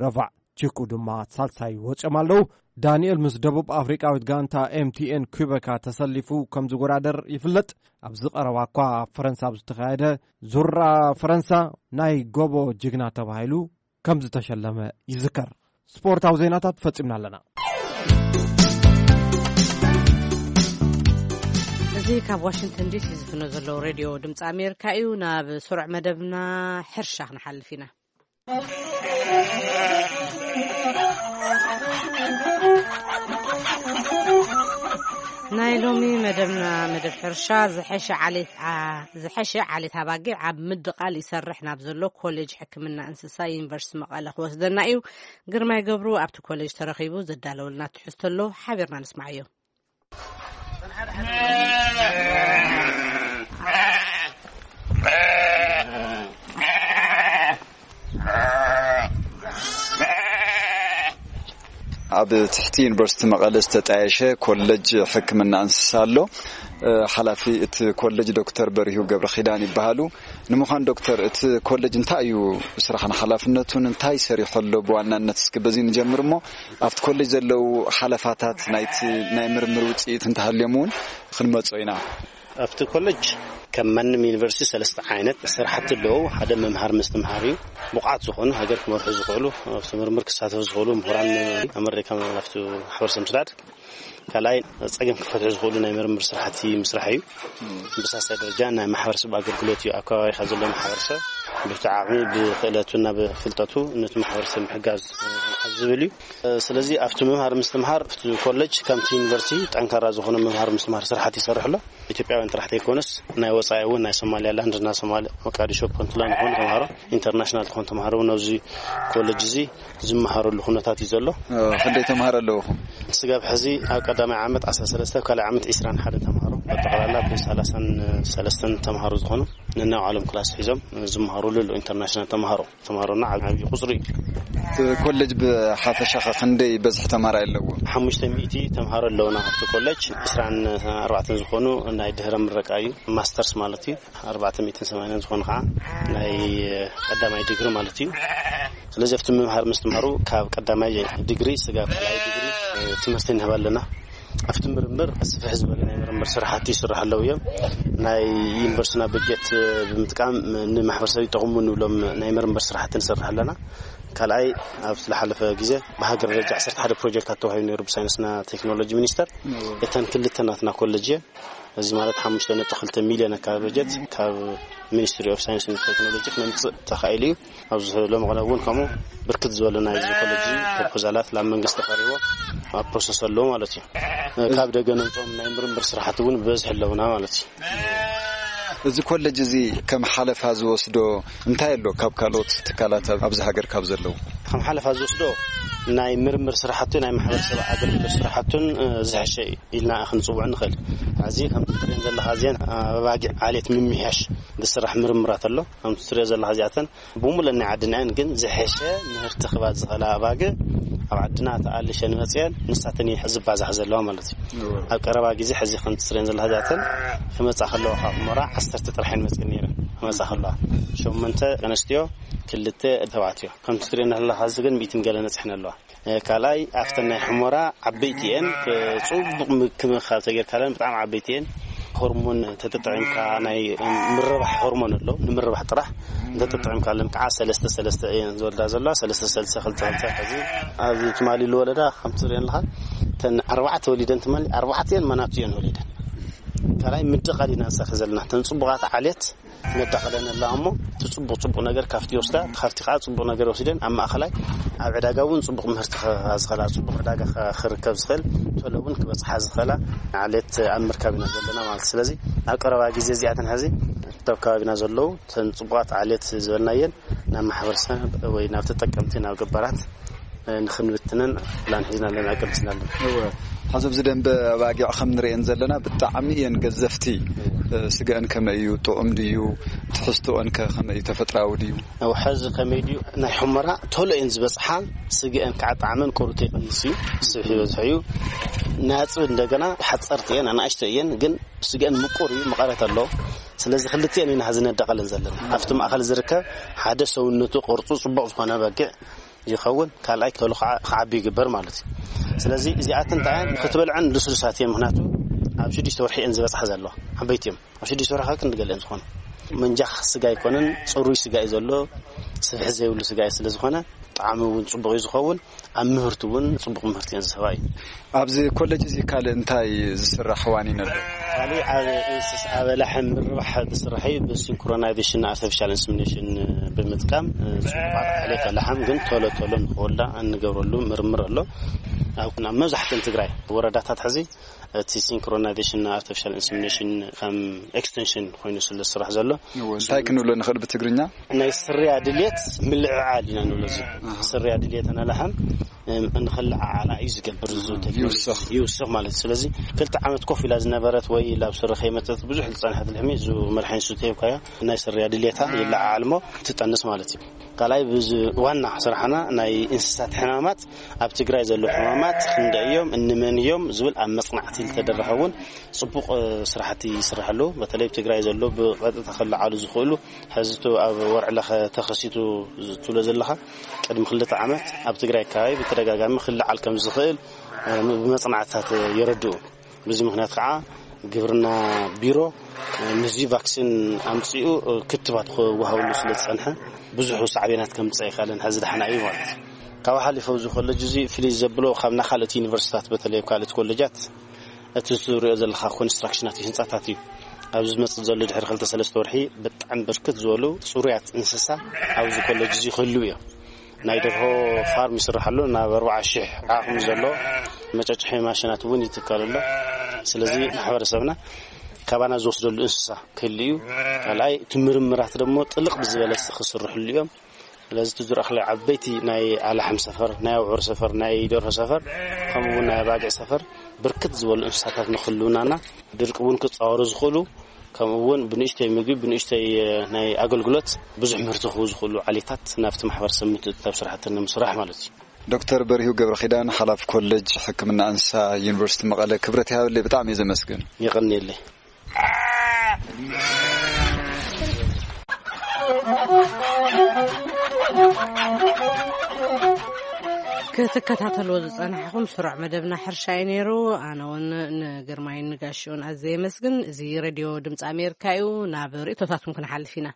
ረፋዕ ቺኩ ድማ ሳልሳይ ወጺኦም ኣለዉ። ዳንኤል ምስ ደቡብ ኣፍሪቃዊት ጋንታ ኤምቲኤን ኩበካ ተሰሊፉ ከም ዝወዳደር ይፍለጥ። ኣብዚ ቀረባ እኳ ኣብ ፈረንሳ ኣብ ዝተኻየደ ዙራ ፈረንሳ ናይ ጎቦ ጅግና ተባሂሉ ከም ዝተሸለመ ይዝከር። ስፖርታዊ ዜናታት ፈጺምና ኣለና። እዚ ካብ ዋሽንግተን ዲሲ ዝፍኖ ዘለዉ ሬድዮ ድምፂ ኣሜሪካ እዩ። ናብ ስሩዕ መደብና ሕርሻ ክንሓልፍ ኢና። ናይ ሎሚ መደብና መደብ ሕርሻ ዝሐሸ ዓሌት ዓ-፣ ዝሐሸ ዓሌት ኣባጊዕ ኣብ ምድቓል ይሰርሕ ናብ ዘሎ ኮሌጅ ሕክምና እንስሳ ዩኒቨርሲቲ መቐለ ክወስደና እዩ። ግርማይ ገብሩ ኣብቲ ኮሌጅ ተረኺቡ ዘዳለወልና ትሕዝቶ ኣሎ፣ ሓቢርና ንስማዓዮ። ኣብ ትሕቲ ዩኒቨርሲቲ መቐለ ዝተጣየሸ ኮሌጅ ሕክምና እንስሳ ኣሎ። እ፣ ሓላፊ እቲ ኮሌጅ ዶክተር በሪሁ ገብረ ኪዳን ይበሃሉ። ንምዃን ዶክተር፣ እቲ ኮሌጅ እንታይ እዩ ስራሕን ሓላፍነቱን እንታይ ሰሪሑ ኣሎ? ብዋናነት እስኪ በዚ ንጀምር እሞ፣ ኣብቲ ኮሌጅ ዘለዉ ሓለፋታት ናይቲ ናይ ምርምር ውፅኢት እንተሃልዮም እውን ክንመጾ ኢና። ኣብቲ ኮሌጅ ከም ማንም ዩኒቨርሲቲ ሰለስተ ዓይነት ስራሕቲ ኣለዉ። ሓደ መምሃር ምስትምሃር እዩ። ብቑዓት ዝኾኑ ሃገር ክመርሑ ዝኽእሉ፣ ኣብቲ ምርምር ክሳተፉ ዝኽእሉ ምሁራን ኣመሪካ ኣብቲ ማሕበረሰብ ምስዳድ። ካልኣይ ጸገም ክፈትሑ ዝኽእሉ ናይ ምርምር ስራሕቲ ምስራሕ እዩ። ብሳልሳይ ደረጃ ናይ ማሕበረሰብ ኣገልግሎት እዩ። ኣብ ከባቢኻ ዘሎ ማሕበረሰብ ብቲ ዓቕሚ ብክእለቱና ብፍልጠቱ ነቲ ማሕበረሰብ ምሕጋዝ ኣብ ዝብል እዩ። ስለዚ ኣብቲ ምምሃር ምስትምሃር ኣብቲ ኮሌጅ ከምቲ ዩኒቨርሲቲ ጠንካራ ዝኾነ ምምሃር ምስትምሃር ስራሕቲ ይሰርሕ ኣሎ። ኢትዮጵያውያን ጥራሕ ዘይኮነስ ናይ ወጻኢ እውን ናይ ሶማሊያላንድ እና ሶማሊ ሞቃዲሾ ፑንትላንድ ዝኾኑ ተምሃሮ ኢንተርናሽናል ዝኾኑ ተምሃሮ እውን ኣብዚ ኮሌጅ እዚ ዝመሃረሉ ኩነታት እዩ ዘሎ። እ፣ ክንደይ ተምሃሮ ኣለውኹም? ስጋብ ሕዚ ኣብ ቀዳማይ ዓመት ዓሰርተ ሰለስተ፣ ኣብ ካልኣይ ዓመት ዕስራን ሓደን ተምሃሮ፣ በጠቕላላ ብ ሰላሳን ሰለስተን ተምሃሮ ዝኾኑ ነናይ ባዕሎም ክላስ ሒዞም ዝመሃሩሉ ኣለዉ። ኢንተርናሽናል ተምሃሮ፣ ተምሃሮና ዓብ-፣ ዓብዪ ቁፅሪ እዩ። እቲ ኮሌጅ ብሓፈሻ ኸ ክንደይ በዝሒ ተማሃራይ ኣለዎ? ሓሙሽተ ሚእቲ ተምሃሮ ኣለውና ኣብቲ ኮሌጅ። ዕስራን ኣርባዕተን ዝኾኑ ናይ ድህረ ምረቃ እዩ፣ ማስተርስ ማለት እዩ። ኣርባዕተ ሚእትን ሰማንያን ዝኾኑ ከዓ ናይ ቀዳማይ ዲግሪ ማለት እዩ። ስለዚ ኣብቲ ምምሃር ምስትምሃሩ ካብ ቀዳማይ ዲግሪ ስጋብ ካልኣይ ዲግሪ ትምህርቲ ንህብ ኣለና። ኣብቲ ምርምር ስፍሕ ዝበለ ናይ ምርምር ስራሕቲ ይስራሕ ኣለዉ እዮም። ናይ ዩኒቨርሲቲና በጀት ብምጥቃም ንማሕበረሰብ ይጠቕሙ ንብሎም ናይ ምርምር ስራሕቲ ንሰርሕ ኣለና። ካልኣይ፣ ኣብ ዝሓለፈ ግዜ ብሃገር ደረጃ ዓሰርተ ሓደ ፕሮጀክታት ተዋሂቡ ነይሩ ብሳይንስና ቴክኖሎጂ ሚኒስተር። እተን ክልተ ናትና ኮለጅ እየን። እዚ ማለት ሓሙሽተ ነጥቢ ክልተ ሚልዮን ኣካባቢ በጀት ካብ ሚኒስትሪ ኦፍ ሳይንስ ን ቴክኖሎጂ ክነምፅእ ተኻኢሉ እዩ። ኣብዚ ሎሚ ቅነ እውን ከምኡ ብርክት ዝበሉ ናይ ኮለጅ ፕሮፖዛላት ናብ መንግስቲ ቀሪቦ ኣብ ፕሮሰስ ኣለዎ ማለት እዩ። ካብ ደገ ነምፅኦም ናይ ምርምር ስራሕቲ እውን ብበዝሒ ኣለውና ማለት እዩ። እዚ ኮለጅ እዚ ከም ሓለፋ ዝወስዶ እንታይ ኣሎ ካብ ካልኦት ትካላት ኣብ-፣ ኣብዚ ሃገር ካብ ዘለዉ? ከም ሓለፋ ዝወስዶ ናይ ምርምር ስራሕቱ ናይ ማሕበረሰብ ኣገልግሎት ስራሕቱን፣ እ፣ ዝሕሸ እዩ ኢልና ክንፅውዖ ንኽእል። እዚ ከምቲ ትሪእን ዘለኻ እዚአን ኣባጊዕ ዓሌት ምምሕያሽ ዝስራሕ ምርምራት ኣሎ። ከምቲ ትሪኦ ዘለኻ እዚኣተን ብምሉእ ናይ ዓድና እየን፣ ግን ዝሐሸ ምህርቲ ክባዝኸላ ኣባግዕ ኣብ ዓድና ተኣልሸን መፅየን ንሳተን እየን ዝባዛሕ ዘለዋ ማለት እዩ። ኣብ ቀረባ ግዜ ሕዚ ከምቲ ትርእየን ዘለኻ እዚኣተን ክመፃ ከለዋ ካብ ሑመራ ዓሰርተ ጥራሕ እየን መፅየን ነይረን። ክመፃ ከለዋ ሸሞንተ ኣንስትዮ፣ ክልተ ተባዕትዮ። ከምቲ ትርእየን ዘለኻ እዚ ግን ሚእትን ገለ ነፅሐን ኣለዋ። ካልኣይ ኣብተን ናይ ሑመራ ዓበይቲ እየን። ጽቡቕ ምክብኻብ ተጌርካለን ብጣዕሚ ዓበይቲ እየን። ሆርሞን ተተጠቒምካ ናይ ምርባሕ ሆርሞን ኣሎ፣ ንምርባሕ ጥራሕ እንተተጠቒምካለን ከዓ ሰለስተ ሰለስተ እየን ዝወልዳ ዘለዋ። ሰለስተ ሰለስተ ክልተ ክልተ። ሕዚ ኣብዚ ትማሊ ዝወለዳ ከምቲ ትርእየን ኣለኻ፣ እተን ኣርባዕተ ወሊደን ትማሊ ኣርባዕተ እየን መናቱ እየን ወሊደን። ካልኣይ ምድቓል ኢና ንሰርሕ ዘለና። እተን ጽቡቓት ዓሌት ነዳቕለን ኣለዋ እሞ እቲ ጽቡቕ ጽቡቕ ነገር ካብቲ ይወስዳ፣ ካብቲ ከዓ ጽቡቕ ነገር ወሲደን ኣብ ማእኸላይ ኣብ ዕዳጋ እውን ጽቡቕ ምህርቲ ክህባ ዝኽእላ፣ ጽቡቕ ዕዳጋ ኸ-፣ ክርከብ ዝኽእል፣ ቶሎ እውን ክበጽሓ ዝኽእላ ዓሌት ኣብ ምርካብ ኢና ዘለና ማለት እዩ። ስለዚ ኣብ ቀረባ ግዜ እዚኣተን ሕዚ ኣብ ከባቢና ዘለዉ እተን ጽቡቓት ዓሌት ዝበልናየን ናብ ማሕበረሰብ ወይ ናብ ተጠቀምቲ፣ ናብ ገባራት ንኽንብትነን ፕላን ሒዝና ኣለና፣ ኣቀዲስና ኣለና። እወ። ሕዚ ኣብዚ ደንበ ኣባጊዕ ከም ንርእየን ዘለና ብጣዕሚ እየን ገዘፍቲ። እ፣ ስገአን ከመይ እዩ? ጥዑም ድዩ? ትሕዝቶአን ከ ከመይ እዩ? ተፈጥራዊ ድዩ? እወ፣ ሕዚ ከመይ ድዩ? ናይ ሑመራ ቶሎ እየን ዝበጽሓ። ስገአን ከዓ ጣዕመን ቆሩት ይቐንስ እዩ። ስብሒ ይበዝሖ እዩ። ናጽብ እንደገና ሓጸርቲ እየን፣ ኣናእሽቶ እየን፣ ግን ስገአን ምቁር እዩ፣ መቐረት ኣለዎ። ስለዚ ክልቲአን ኢና ሕዚ ነዳቐለን ዘለና። ኣብቲ ማእኸል ዝርከብ ሓደ ሰውነቱ ቅርጹ ጽቡቕ ዝኾነ በጊዕ ይኸውን፣ ካልኣይ ቶሎ ክዓ-፣ ክዓቢ ይግበር ማለት እዩ። ስለዚ እዚኣተን እንታይ እየን ክትበልዐን ልስሉሳት እየን፣ ምኽንያቱ ኣብ ሽዱሽተ ወርሒ እየን ዝበጽሓ ዘለዋ፣ ዓበይቲ እዮም። ኣብ ሽዱሽተ ወርሒ ክንዲ ገለ እየን ዝኾኑ። መንጃኽ ስጋ ኣይኮነን፣ ጽሩይ ስጋ እዩ ዘሎ፣ ስብሒ ዘይብሉ ስጋ እዩ። ስለ ዝኾነ ጣዕሚ እውን ጽቡቕ እዩ ዝኸውን፣ ኣብ ምህርቲ እውን ጽቡቕ ምህርቲ እየን ዝህባ እዩ። ኣብዚ ኮሌጅ እዚ ካልእ እንታይ ዝስራሕ ዋኒን ኣሎ? ካልእ ኣብ እንስሳ፣ ኣብ ኣላሕም ምርባሕ ዝስራሕ እዩ። ብሲንክሮናይዜሽን ኣርቲፊሻል ኢንሰሚኔሽን ብምጥቃም፣ እ፣ ጽቡቓት ዓሌት ኣላሕም ግን ቶሎ ቶሎ ንኽወልዳ እንገብረሉ ምርምር ኣሎ። ኣብ፣ ኣብ መብዛሕትአን ትግራይ ወረዳታት ሕዚ እቲ ሲንክሮናይዜሽን ኣርቲፊሻል ኢንሰሚኔሽን ከም ኤክስቴንሽን ኮይኑ ስለ ዝስራሕ ዘሎ። እወ፣ እንታይ ክንብሎ ንኽእል ብትግርኛ? ናይ ስርያ ድልየት ምልዕዓል ኢና ንብሎ። እዚ ኣሃ። ስርያ ድልየት ኣላሕም፣ እም፣ ንኽልዓዓላ እዩ ዝገብር። እዚ ኣሃ፣ ቴክኖሎጂ ይውስኽ። ይውስኽ ማለት እዩ። ስለዚ ክልተ ዓመት ኮፍ ኢላ ዝነበረት ወይ ላብ ስሪ ከይመጸት ብዙሕ ዝጸንሐት ልሕሚ፣ እዚ መድሓኒት ስተ ሂብካያ፣ ናይ ስርያ ድልየታ ይለዓዓል እሞ ትጠንስ ማለት እዩ። ካልኣይ፣ ብዚ ዋና ስራሕና ናይ እንስሳት ሕማማት፣ ኣብ ትግራይ ዘለዉ ሕማማት ክንደይ እዮም፣ እንመን እዮም ዝብል ኣብ መጽናዕቲ ዝተደረኸ እውን ጽቡቕ፣ እ፣ ስራሕቲ ይስራሕ ኣሎ። በተለይ ኣብ ትግራይ ዘሎ ብቐጥታ ክለዓሉ ዝኽእሉ፣ ሕዚ እቲ ኣብ ወርዒ ለኸ ተኸሲቱ ዝ-፣ ትብሎ ዘለኻ፣ ቅድሚ ክልተ ዓመት ኣብ ትግራይ ከባቢ ብተደጋጋሚ ክለዓል ከም ዝኽእል፣ እ፣ ብመጽናዕትታት የረድኡ። በዚ ምኽንያት ከዓ ግብርና ቢሮ፣ እ፣ ምስዚ ቫክሲን ኣምጺኡ፣ እ፣ ክትባት ክወሃበሉ ስለ ዝጸንሐ ብዙሕ ሳዕቤናት ከምጽእ ኣይክኣለን። ሕዚ ደሓና እዩ ማለት እዩ። ካብኡ ሓሊፉ ኣብዚ ኮለጅ እዚ ፍልይ ዘብሎ ካብ ናይ ካልኦት ዩኒቨርሲታት በተለይ ኣብ ካልኦት ኮለጃት እቲ ዝሪኦ ዘለኻ ኮንስትራክሽናት ህንጻታት እዩ። ኣብዚ ዝመጽእ ዘሎ ድሕሪ ክልተ ሰለስተ ወርሒ ብጣዕሚ ብርክት ዝበሉ ጽሩያት እንስሳ ኣብዚ ኮለጅ እዚ ክህልው እዮም። ናይ ደርሆ ፋርም ይስራሕ ኣሎ። ናብ ኣርባዓ ሺሕ ዓቕሚ ዘሎ መጨጭሒ ማሽናት እውን ይትከል ኣሎ። ስለዚ ማሕበረሰብና ካባና ዝወስደሉ እንስሳ ክህሉ እዩ። ካልኣይ እቲ ምርምራት ደግሞ ጥልቕ ብዝበለ ክስርሕሉ እዮም። ስለዚ እቲ ዝረኣኽለይ ዓበይቲ ናይ ኣላሕም ሰፈር፣ ናይ ኣብዑር ሰፈር፣ ናይ ደርሆ ሰፈር፣ ከምኡ እውን ናይ ኣባጊዕ ሰፈር ብርክት ዝበሉ እንስሳታት ንክህልውናና ድርቂ እውን ክፃወሩ ዝኽእሉ፣ ከምኡ እውን ብንእሽተይ ምግቢ፣ ብንእሽተይ፣ እ፣ ናይ ኣገልግሎት ብዙሕ ምህርቲ ክህቡ ዝኽእሉ ዓሌታት ናብቲ ማሕበረሰብ ምትእትታው ስራሕቲ ንምስራሕ ማለት እዩ። ዶክተር በሪሁ ገብረኺዳን፣ ሓላፊ ኮሌጅ ሕክምና እንስሳ ዩኒቨርሲቲ መቐለ፣ ክብረት ይሃበለይ፣ ብጣዕሚ እየ ዘመስግን። የቐንየለይ። ክትከታተልዎ ዝጸናሕኹም ስሩዕ መደብና ሕርሻ እዩ ነይሩ። ኣነ እውን ንግርማይን ንጋሽኡን ኣዝየ የመስግን። እዚ ሬድዮ ድምፂ ኣሜሪካ እዩ። ናብ ርእይቶታትኩም ክንሓልፍ ኢና።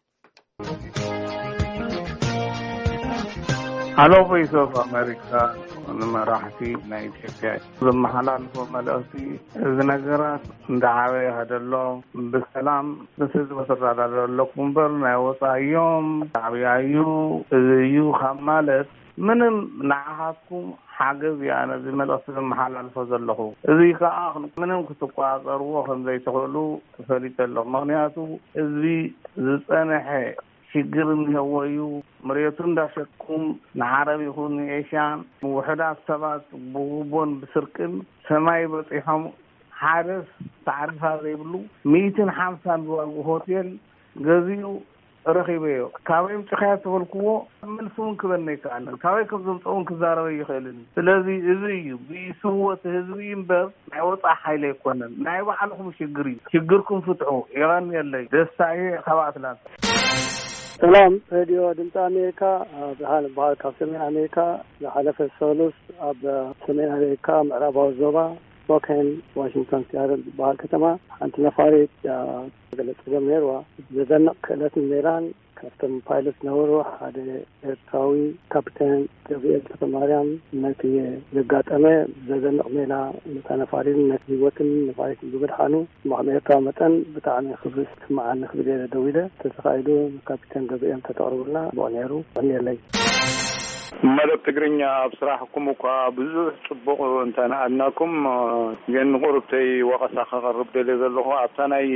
ሃሎ ቮይስ ኦፍ ኣሜሪካ፣ ንመራሕቲ ናይ ኢትዮጵያ ዘመሓላልፎ መልእኽቲ፣ እዚ ነገራት እንዳዓበየ ይኸደሎ፣ ብሰላም ምስ ህዝቢ ትረዳዳእ ኣለኩም እምበር ናይ ወፃኢ እዮም፣ ሻዕብያ እዩ፣ እዚ እዩ ካብ ማለት ምንም ንዓኻትኩም ሓገዝ እዩ ኣነ እዚ መልእኽቲ ዘመሓላልፎ ዘለኹ። እዚ ከዓ ምንም ክትቆፃፀርዎ ከም ዘይትኽእሉ ፈሊጠ ኣለኹ። ምኽንያቱ ህዝቢ ዝፀንሐ ሽግር እኒሀዎ እዩ። መሬቱ እንዳሸጥኩም ንዓረብ ይኹን ንኤሽያን ውሑዳት ሰባት ብጉቦን ብስርቅን ሰማይ በፂሖም። ሓደስ ታዕሪፋ ዘይብሉ ሚእትን ሓምሳን ዝዋግኡ ሆቴል ገዚኡ ረኺበዮ። ካበይ ምጽኻያ ተበልክዎ፣ መልሲ እውን ክበኒ ኣይከኣለን። ካበይ ከም ዘምጽኦ እውን ክዛረበ ይኽእልን። ስለዚ እዚ እዩ ብስወት ህዝቢ እምበር ናይ ወጻኢ ሓይሊ ኣይኮነን። ናይ ባዕልኹም ሽግር እዩ። ሽግርኩም ፍትሑ። የቐንየለይ። ደስታ እየ ካብ ኣትላንታ። ሰላም ሬድዮ ድምፂ ኣሜሪካ። ብርሃን በሃል ካብ ሰሜን ኣሜሪካ። ዝሓለፈ ሰሉስ ኣብ ሰሜን ኣሜሪካ ምዕራባዊ ዞባ ስፖኬን ዋሽንግቶን ሲያትል ዝበሃል ከተማ ሓንቲ ነፋሪት ገለ ፀገም ነይርዋ። ዘደንቕ ክእለት ነይራን ካብቶም ፓይለት ዝነበሩ ሓደ ኤርትራዊ ካፕቴን ገብርኤል ተፈማርያም ነቲ ዘጋጠመ ዘደንቕ ሜላ ነታ ነፋሪትን ነቲ ህይወትን ነፋሪትን ብምድሓኑ እሞ ከም ኤርትራዊ መጠን ብጣዕሚ ክብሪ ዝስምዓኒ ክብል እየ ደዊለ። ተተኻኢሉ ንካፕቴን ገብርኤል ተተቕርቡልና ብቑዕ ነይሩ። ቀንየለይ። መደብ ትግርኛ ኣብ ስራሕኩም እኳ ብዙሕ ጽቡቕ እንተነኣድናኩም፣ ግን ንቁርብተይ ወቐሳ ከቐርብ ደልየ ዘለኹ። ኣብታ ናይ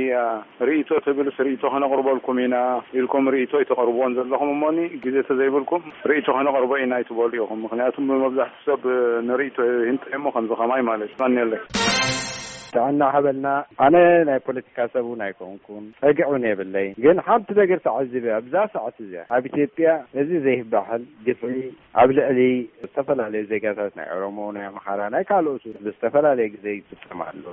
ርእይቶ ትብልስ ርእይቶ ከነቕርበልኩም ኢና ኢልኩም ርእይቶ ኣይተቐርብዎን ዘለኹም። እሞኒ ግዜ ተዘይብልኩም ርእይቶ ከነቕርቦ ኢና ኣይትበሉ ኢኹም። ምኽንያቱም ብመብዛሕቱ ሰብ ንርእይቶ ይህንጠ እሞ ከምዚ ከማይ ማለት እዩ። ቀንየለይ። ጥዕና ሓበልና። ኣነ ናይ ፖለቲካ ሰብ እውን ኣይኮንኩን፣ ጸግዕ እውን የብለይ። ግን ሓንቲ ነገር ተዓዚበ ኣብዛ ሰዓት እዚኣ ኣብ ኢትዮጵያ እዚ ዘይባሕል ግፍዒ ኣብ ልዕሊ ዝተፈላለዩ ዜጋታት ናይ ኦሮሞ፣ ናይ ኣምሓራ፣ ናይ ካልኦት ብዝተፈላለየ ግዜ ይፍጸም ኣሎ።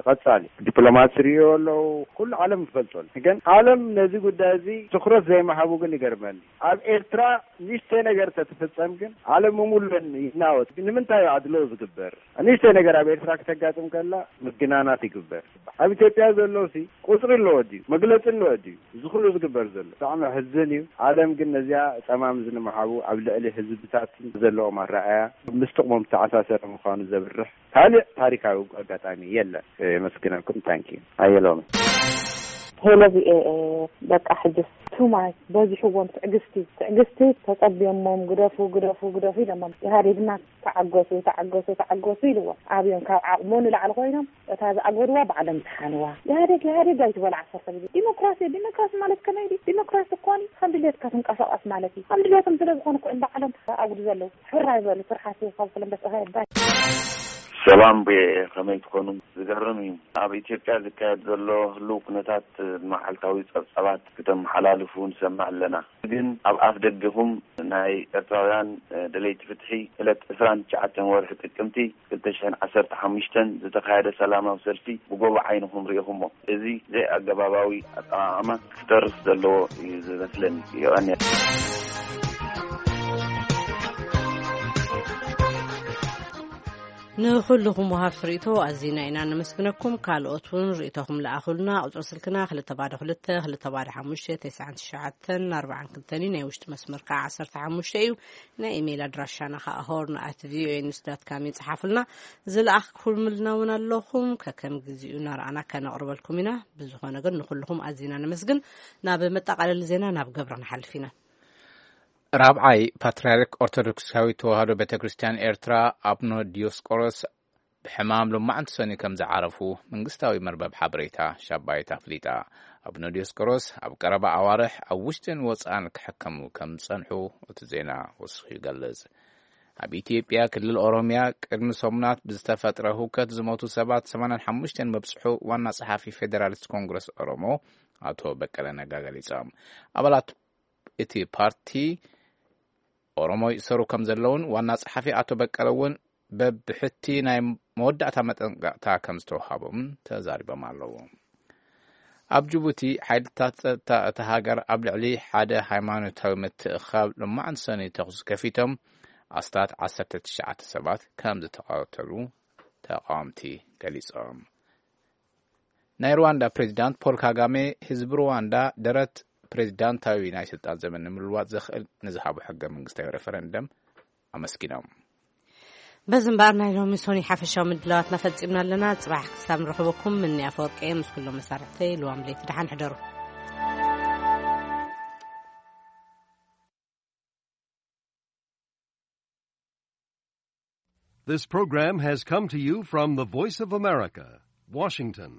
ቀጻሊ ዲፕሎማት ዝርእዮ ኣለዉ፣ ኩሉ ዓለም ይፈልጦ ኣሎ። ግን ዓለም ነዚ ጉዳይ እዚ ትኹረት ዘይምሃቡ ግን ይገርመኒ። ኣብ ኤርትራ ንእሽተይ ነገር ተትፍጸም ግን ዓለም ምሉእ ይናወጽ። ግን ንምንታይ እዩ ኣድሎ ዝግበር? ንእሽተይ ነገር ኣብ ኤርትራ ክተጋጥም ከላ ምግናናት ይግበር። ኣብ ኢትዮጵያ ዘሎ ሲ ቁጽሪ ኣለዎ ድዩ? መግለጺ ኣለዎ ድዩ? እዚ ኩሉ ዝግበር ዘሎ ብጣዕሚ ሕዝን እዩ። ዓለም ግን ነዚኣ ጸማም ዝንምሓቡ ኣብ ልዕሊ ህዝብታት ዘለዎም ኣረኣእያ ምስ ጥቕሞም ዝተኣሳሰረ ምዃኑ ዘብርህ ካልእ ታሪካዊ ኣጋጣሚ የለን። የመስግነኩም። ታንኪዩ። ኣየሎሚ። ሄሎ ቪኦኤ፣ በቃ ሕጅስ ቱ ማች በዚሕዎም። ትዕግስቲ ትዕግስቲ ተጸብዮሞም፣ ግደፉ ግደፉ ግደፉ ኢሎሞም። ኢህኣዴግና ተዓገሱ ተዓገሱ ተዓገሱ ኢልዎም። ኣብዮም ካብ ዓቕሞ ንላዕሊ ኮይኖም እታ ዝኣገድዋ ባዕሎም ዝሓንዋ። ኢህኣዴግ ኢህኣዴግ ኣይትበሉ ዓሰርተ ግዜ። ዲሞክራሲ ዲሞክራሲ ማለት ከመይ ድዩ? ዲሞክራሲ እኮ ከም ድሌትካ ትንቀሳቐስ ማለት እዩ። ከም ድሌቶም ስለ ዝኾኑ እኮ እዮም ባዕሎም ኣጉዱ ዘለዉ። ሕራይ በሉ ስርሓት ካብ ኩሎም በስኻ የባይ። ሰላም ብየ ከመይ ትኾኑ? ዝገርም እዩ። ኣብ ኢትዮጵያ ዝካየድ ዘሎ ህልው ኩነታት መዓልታዊ ጸብጻባት ክተመሓላልፉ ንሰምዕ ኣለና። ግን ኣብ ኣፍ ደገኹም ናይ ኤርትራውያን ደለይቲ ፍትሒ ዕለት ዕስራን ትሽዓተን ወርሒ ጥቅምቲ ክልተ ሽሕን ዓሰርተ ሓሙሽተን ዝተኻየደ ሰላማዊ ሰልፊ ብጎቦ ዓይንኹም ርኢኹሞ። እዚ ዘይኣገባባዊ ኣጠቓቕማ ክተርፍ ዘለዎ እዩ ዝመስለኒ። የቐንየልና። ንኹልኹም ወሃብቲ ርእይቶ ኣዚና ኢና ነመስግነኩም። ካልኦት እውን ርእይቶኹም ለኣኹልና። ቁጽሪ ስልክና ክልተ ባዶ ክልተ ክልተ ባዶ ሓሙሽተ ተስዓን ትሽዓተን ኣርባዓን ክልተን እዩ። ናይ ውሽጢ መስመር ከዓ ዓሰርተ ሓሙሽተ እዩ። ናይ ኢሜይል ኣድራሻና ከዓ ሆርን ኣት ቪኦኤ ኒውስ ዳት ካም እዩ። ጽሓፉልና። ዝለኣኽኩምልና እውን ኣለኹም። ከከም ግዚኡ እናረኣና ከነቕርበልኩም ኢና። ብዝኾነ ግን ንኹልኹም ኣዚና ነመስግን። ናብ መጠቓለሊ ዜና ናብ ገብረ ንሓልፍ ኢና። ራብዓይ ፓትርያርክ ኦርቶዶክሳዊት ተዋህዶ ቤተ ክርስቲያን ኤርትራ ኣቡነ ዲዮስቆሮስ ብሕማም ሎማዕንቲ ሰኒ ከም ዝዓረፉ መንግስታዊ መርበብ ሓበሬታ ሻባይት ኣፍሊጣ። ኣቡነ ዲዮስቆሮስ ኣብ ቀረባ ኣዋርሕ ኣብ ውሽጥን ወጻእን ክሕከሙ ከም ዝጸንሑ እቲ ዜና ወሲኹ ይገልጽ። ኣብ ኢትዮጵያ ክልል ኦሮሚያ ቅድሚ ሰሙናት ብዝተፈጥረ ህውከት ዝሞቱ ሰባት ሰማንያን ሓሙሽተን መብጽሑ ዋና ጸሓፊ ፌዴራሊስት ኮንግረስ ኦሮሞ ኣቶ በቀለ ነጋ ገሊጾም። ኣባላት እቲ ፓርቲ ኦሮሞ ይእሰሩ ከም ዘለውን ዋና ጸሓፊ ኣቶ በቀለ እውን በብሕቲ ናይ መወዳእታ መጠንቀቕታ ከም ዝተውሃቦም ተዛሪቦም ኣለዉ። ኣብ ጅቡቲ ሓይልታት ጸጥታ እታ ሃገር ኣብ ልዕሊ ሓደ ሃይማኖታዊ ምትእኽኻብ ሎማዕንቲ ሰኑይ ተኹሲ ከፊቶም ኣስታት ዓሰርተ ትሽዓተ ሰባት ከም ዝተቐተሉ ተቓወምቲ ገሊጾም። ናይ ሩዋንዳ ፕሬዚዳንት ፖል ካጋሜ ህዝቢ ሩዋንዳ ደረት ፕሬዚዳንታዊ ናይ ስልጣን ዘመን ንምልዋጥ ዘኽእል ንዝሃቦ ሕገ መንግስታዊ ሬፈረንደም ኣመስጊኖም። በዚ እምበኣር ናይ ሎሚ ሶኒ ሓፈሻዊ ምድላዋትና ፈጺምና ኣለና። ጽባሕ ክሳብ ንረኽበኩም ምኒ ኣፈወርቂ እየ ምስ ኩሎም መሳርሕተይ ልዋም ለይቲ ደሓን ሕደሩ። This program has come to you from the Voice of America, Washington.